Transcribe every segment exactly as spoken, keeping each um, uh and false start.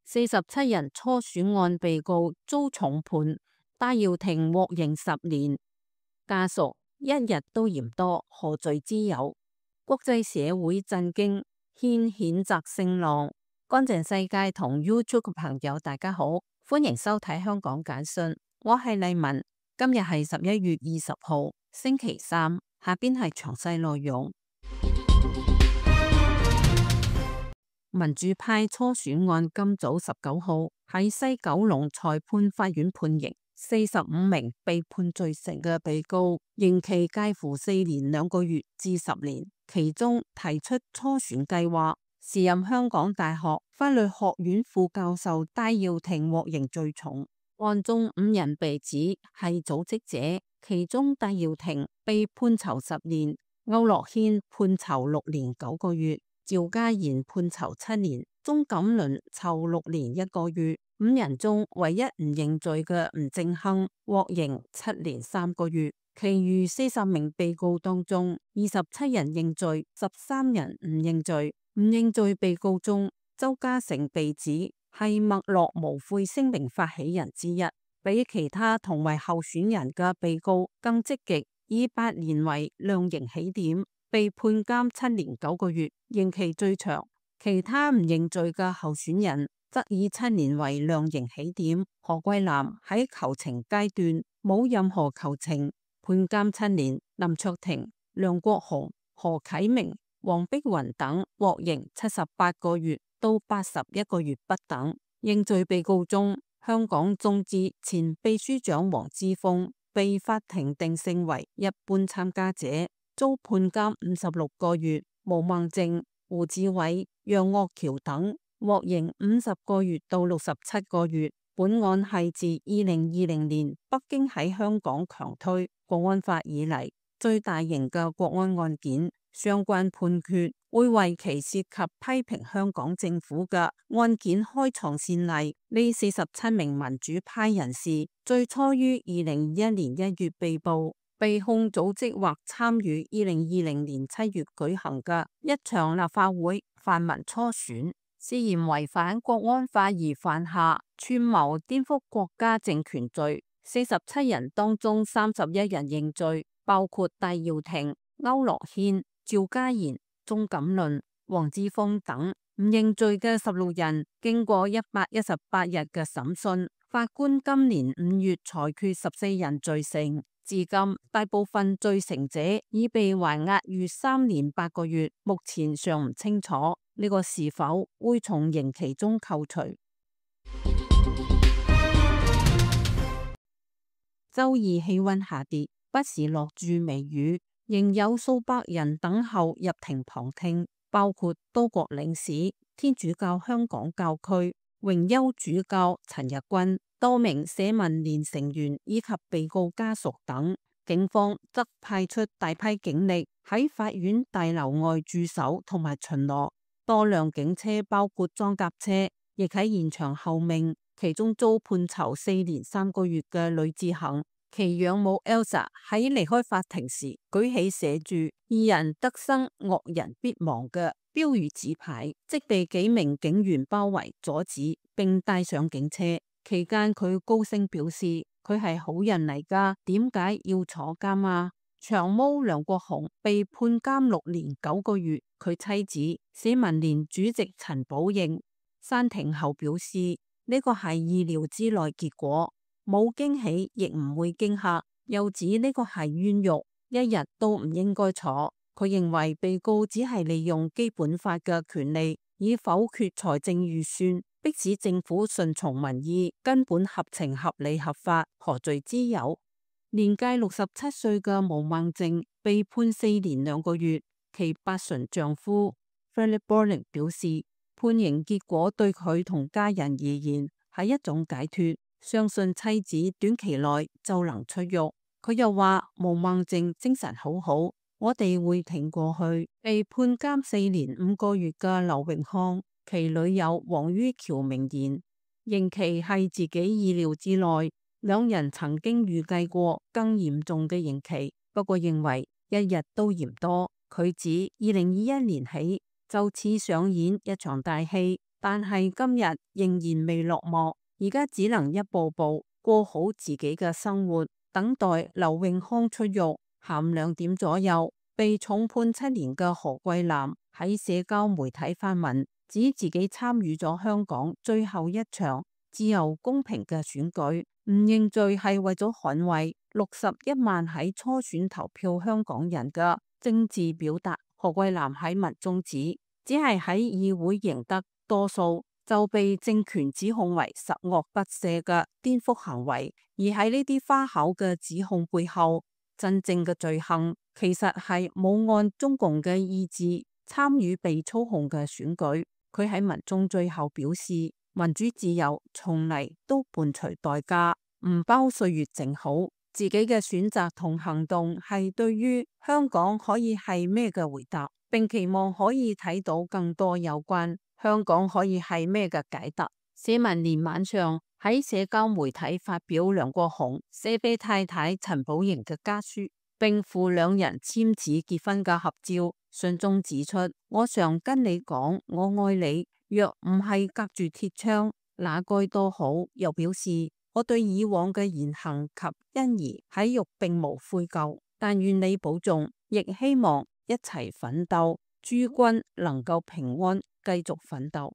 四十七人初選案被告遭重判，戴耀廷獲刑十年。家屬一日都嫌多，何罪之有？國際社會震驚，掀譴責聲浪。乾淨世界同 YouTube 嘅朋友大家好，歡迎收睇香港簡訊，我係麗文。今日係十一月二十號，星期三。下邊係詳細內容。民主派初選案今早十九號喺西九龍裁判法院判刑，四十五名被判罪成嘅被告，刑期介乎四年兩個月至十年。其中提出初選計劃，時任香港大學法律學院副教授戴耀廷獲刑最重。案中五人被指係組織者，其中戴耀廷被判囚十年，區諾軒判囚六年九個月。趙家賢判囚七年，鍾錦麟囚六年一個月。五人中唯一唔認罪嘅吳正亨獲刑七年三個月。其餘四十名被告當中，二十七人認罪，十三人唔認罪。唔認罪被告中，鄒家成被指係墨落無悔聲明發起人之一，比其他同為候選人嘅被告更積極，以八年為量刑起點，被判監七年九個月，刑期最長。其他唔認罪嘅候選人則以七年為量刑起點。何桂藍喺求情階段冇任何求情，判監七年。林卓廷、梁國雄、何啟明、黃碧雲等獲刑七十八個月到八十一個月不等。認罪被告中，香港眾志前秘書長黃之鋒被法庭定性為一般參加者，遭判監五十六個月。毛孟靜、胡志偉、楊岳橋等獲刑五十個月到六十七個月。本案係自二零二零年北京喺香港強推國安法以嚟最大型嘅國安案件，相關判決會為其涉及批評香港政府嘅案件開創先例。呢四十七名民主派人士最初於二零二一年一月被捕，被控組織或參與二零二零年七月舉行嘅一場立法會泛民初選，涉嫌違反國安法而犯下串謀顛覆國家政權罪。四十七人當中三十一人認罪，包括戴耀廷、區諾軒、趙家賢、鍾錦麟、黃之鋒等。唔認罪嘅十六人，經過一百一十八日嘅審訊，法官今年五月裁決十四人罪成。至今大部分罪成者已被還押逾三年八個月，目前尚唔清楚呢個是否會從刑期中扣除。周二氣溫下跌，不時落住微雨，仍有數百人等候入庭旁聽，包括多國領事、天主教香港教區榮休主教陳日君、多名社民連成員以及被告家屬等。警方則派出大批警力喺法院大樓外駐守同埋巡邏，多輛警車包括裝甲車亦喺現場候命。其中遭判囚四年三個月嘅呂志恒，其養母 Elsa 喺離開法庭時舉起寫住義人得生惡人必亡嘅標語紙牌，即被幾名警員包圍阻止並帶上警車。期間佢高聲表示佢係好人嚟㗎，點解要坐監啊？長毛梁國雄被判監六年九個月，佢妻子社民連主席陳寶應散庭後表示呢個係意料之內結果，冇驚喜亦唔會驚嚇，又指呢個係冤獄，一日都唔應該坐。佢認為被告只係利用基本法嘅權利以否決財政預算，迫使政府順從民意，根本合情合理合法，何罪之有？年屆六十七歲嘅毛孟靜被判四年兩個月，其八旬丈夫 Philip Bourne 表示，判刑結果對佢同家人而言係一種解脫，相信妻子短期內就能出獄。佢又話毛孟靜精神好好，我哋會挺過去。被判監四年五個月嘅劉永康，其女友黃于喬明言，刑期係自己意料之內。兩人曾經預計過更嚴重嘅刑期，不過認為一日都嫌多。佢指二零二一年起就此上演一場大戲，但係今日仍然未落幕，而家只能一步步過好自己嘅生活，等待劉永康出獄。下午兩點左右，被重判七年嘅何桂藍喺社交媒體發文，指自己參與咗香港最後一場自由公平嘅選舉，唔認罪係為咗捍衛六十一萬喺初選投票香港人嘅政治表達。何桂藍喺文中指，只係喺議會贏得多數就被政權指控為十惡不赦嘅顛覆行為，而喺呢啲花巧嘅指控背後，真正嘅罪行其實係冇按中共嘅意志參與被操控嘅選舉。佢喺文中最後表示，民主自由從嚟都伴隨代價，唔包歲月靜好。自己嘅選擇同行動係對於香港可以係咩嘅回答，並期望可以睇到更多有關香港可以係咩嘅解答。社民連晚上喺社交媒體發表梁國雄寫俾太太陳寶瑩嘅家書，並附兩人簽字結婚嘅合照。信中指出，我常跟你講我愛你，若唔係隔住鐵窗，那該多好。又表示，我對以往嘅言行及欣宜喺獄並無悔疚，但願你保重，亦希望一齊奮鬥，諸君能夠平安繼續奮鬥。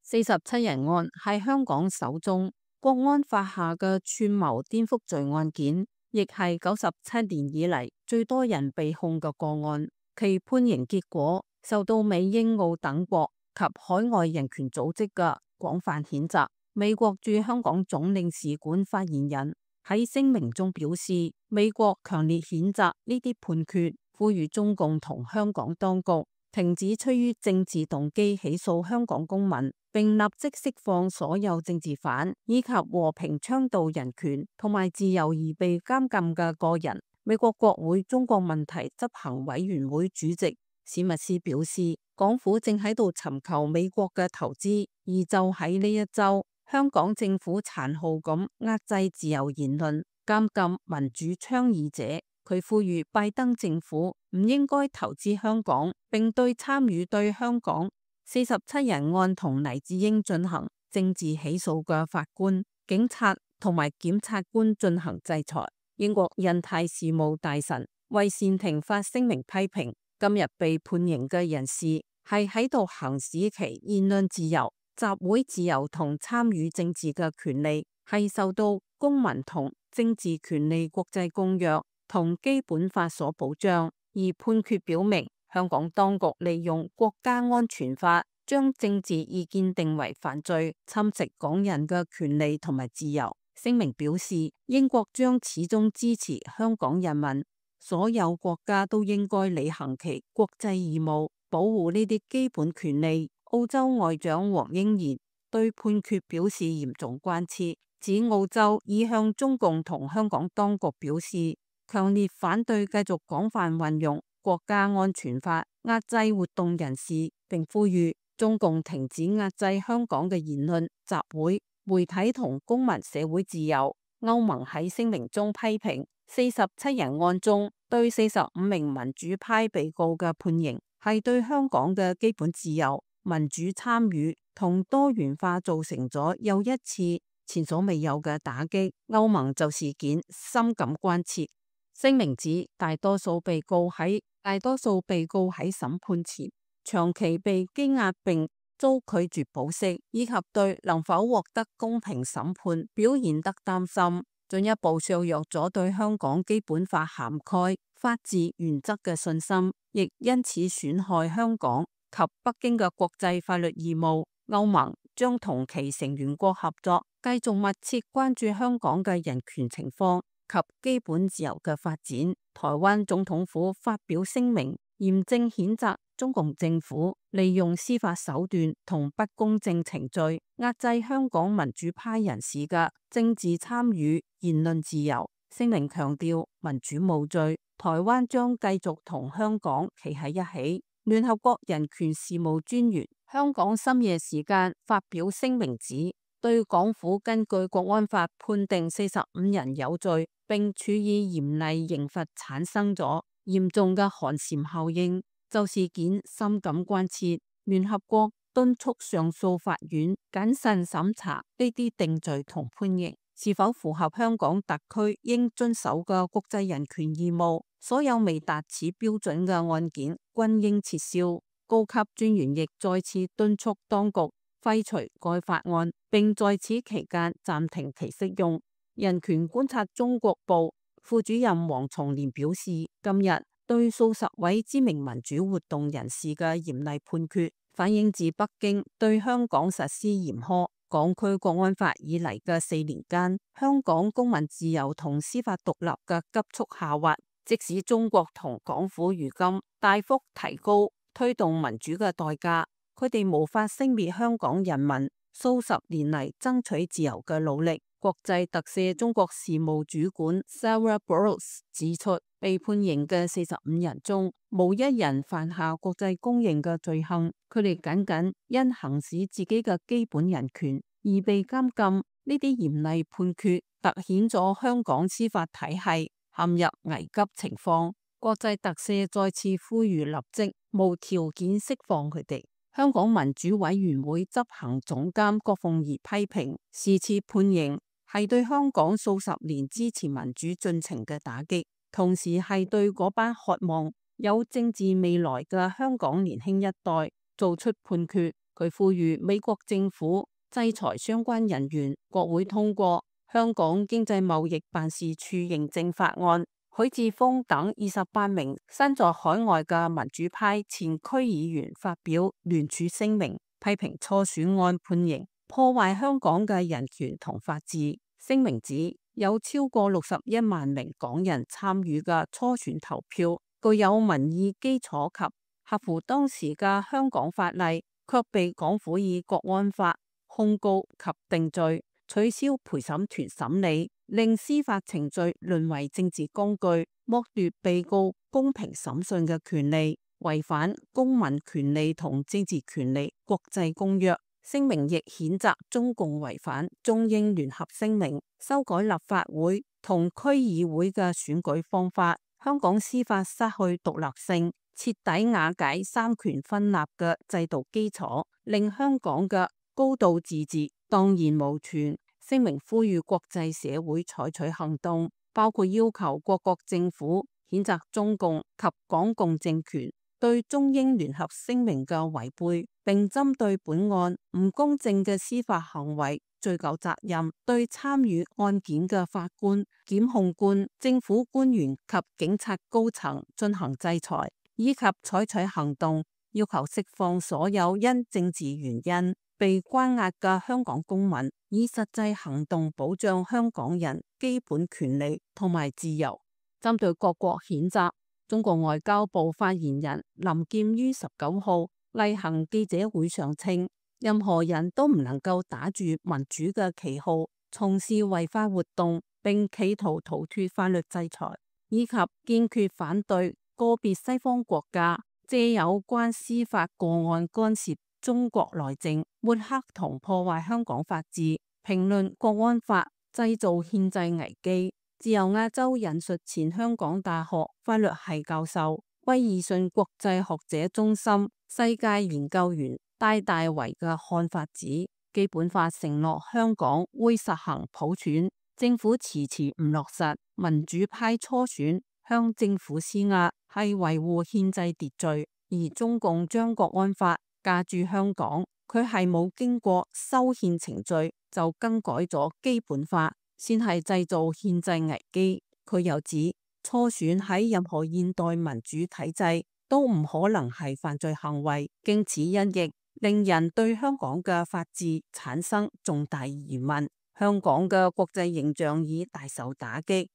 四十七人案係香港首宗國安法下嘅串謀顛覆罪案件，亦係九十七年以嚟最多人被控嘅個案。其判刑結果受到美英澳等國及海外人權組織嘅廣泛譴責。美國駐香港總領事館發言人喺聲明中表示，美國強烈譴責呢啲判決，呼籲中共同香港當局停止出於政治動機起訴香港公民，並立即釋放所有政治犯，以及和平倡導人權同埋自由而被監禁嘅個人。美國國會中國問題執行委員會主席史密斯表示，港府正喺度尋求美國嘅投資，而就喺呢一周，香港政府殘酷咁壓制自由言論，監禁民主倡議者。佢呼籲拜登政府唔應該投資香港，並對參與對香港四十七人案同黎智英進行政治起訴嘅法官、警察同埋檢察官進行制裁。英國印太事務大臣為善庭發聲明批評，今日被判刑嘅人士係喺度行使其言論自由、集會自由同參與政治嘅權利，係受到公民同政治權利國際公約同基本法所保障。而判決表明，香港當局利用國家安全法將政治意見定為犯罪，侵蝕港人嘅權利同埋自由。聲明表示，英國將始終支持香港人民，所有國家都應該履行其國際義務，保護呢啲基本權利。澳洲外長黃英賢對判決表示嚴重關切，指澳洲已向中共同香港當局表示強烈反對繼續廣泛運用國家安全法壓制活動人士，並呼籲中共停止壓制香港嘅言論、集會、媒體同公民社會自由。歐盟喺聲明中批評四十七人案中對四十五名民主派被告嘅判刑係對香港嘅基本自由、民主參與同多元化造成咗又一次前所未有嘅打擊。歐盟就事件深感關切。聲明指大多數被告喺大多數被告喺審判前長期被羈押並遭拒絕保釋，以及對能否獲得公平審判表現得擔心，進一步削弱咗對香港基本法涵蓋法治原則嘅信心，亦因此損害香港及北京嘅國際法律義務。歐盟將同其成員國合作，繼續密切關注香港嘅人權情況及基本自由嘅發展。台灣總統府發表聲明，嚴正譴責中共政府利用司法手段同不公正程序壓制香港民主派人士嘅政治參與、言論自由。聲明強調民主無罪，台灣將繼續同香港企喺一起，聯合國人權事務專員香港深夜時間發表聲明指，對港府根據國安法判定四十五人有罪，並處以嚴厲刑罰，產生咗嚴重嘅寒蟬效應，就事件深感關切。聯合國敦促上訴法院謹慎審查呢啲定罪同判刑是否符合香港特區應遵守嘅國際人權義務，所有未達此標準嘅案件均應撤銷。高級專員亦再次敦促當局廢除該法案，並在此期間暫停其適用。人權觀察中國部副主任黃松年表示，今日對數十位知名民主活動人士嘅嚴厲判決，反映自北京對香港實施嚴苛港區國安法以嚟嘅四年間，香港公民自由同司法獨立嘅急速下滑。即使中國同港府如今大幅提高推動民主嘅代價，佢哋無法熄滅香港人民數十年嚟爭取自由嘅努力。國際特赦中國事務主管 Sarah Burrows 指出，被判刑嘅四十五人中，無一人犯下國際公認嘅罪行，佢哋僅僅因行使自己嘅基本人權而被監禁。呢啲嚴厲判決凸顯咗香港司法體系陷入危急情況。國際特赦再次呼籲立即無條件釋放佢哋。香港民主委員會執行總監郭鳳儀批評，是次判刑係對香港數十年支持民主進程嘅打擊，同時係對嗰班渴望有政治未來嘅香港年輕一代做出判決。佢呼籲美國政府制裁相關人員，國會通過香港經濟貿易辦事處認證法案。許智峰等二十八名身在海外嘅民主派前區議員發表聯署聲明，批評初選案判刑破壞香港嘅人權同法治。聲明指，有超過六十一萬名港人參與嘅初選投票，具有民意基礎及合乎當時嘅香港法例，卻被港府以國安法控告及定罪，取消陪審團審理，令司法程序淪為政治工具，剝奪被告公平審訊嘅權利，違反公民權利同政治權利國際公約。聲明亦譴責中共違反中英聯合聲明，修改立法會同區議會嘅選舉方法，香港司法失去獨立性，徹底瓦解三權分立嘅制度基礎，令香港嘅高度自治蕩然無存。聲明呼籲國際社會採取行動，包括要求各國政府譴責中共及港共政權對中英聯合聲明嘅違背，並針對本案唔公正嘅司法行為追究責任，對參與案件嘅法官、檢控官、政府官員及警察高層進行制裁，以及採取行動，要求釋放所有因政治原因被關押嘅香港公民，以實際行動保障香港人基本權利同埋自由。針對各國譴責，中國外交部發言人林劍於十九號例行記者會上稱，任何人都唔能夠打住民主嘅旗號從事違法活動，並企圖逃脫法律制裁，以及堅決反對個別西方國家借有關司法個案干涉中國內政、抹黑同破壞香港法治，評論國安法，製造憲制危機。自由亞洲引述前香港大學法律系教授、威爾遜國際學者中心世界研究員戴大為嘅看法指，基本法承諾香港會實行普選，政府遲遲唔落實，民主派初選向政府施壓係維護憲制秩序，而中共將國安法架住香港，佢係冇經過修憲程序就更改咗基本法，先係製造憲制危機。佢又指，初選喺任何現代民主體制都唔可能係犯罪行為，經此一役，令人對香港嘅法治產生重大疑問，香港嘅國際形象已大受打擊。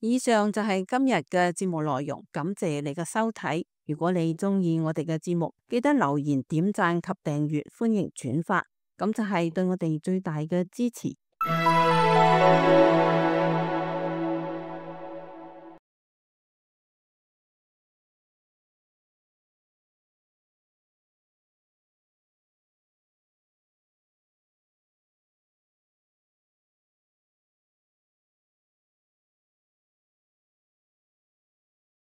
以上就係今日嘅節目內容，感謝你嘅收睇。如果你中意我哋嘅節目，記得留言、點讚及訂閱，歡迎轉發，咁就係對我哋最大嘅支持。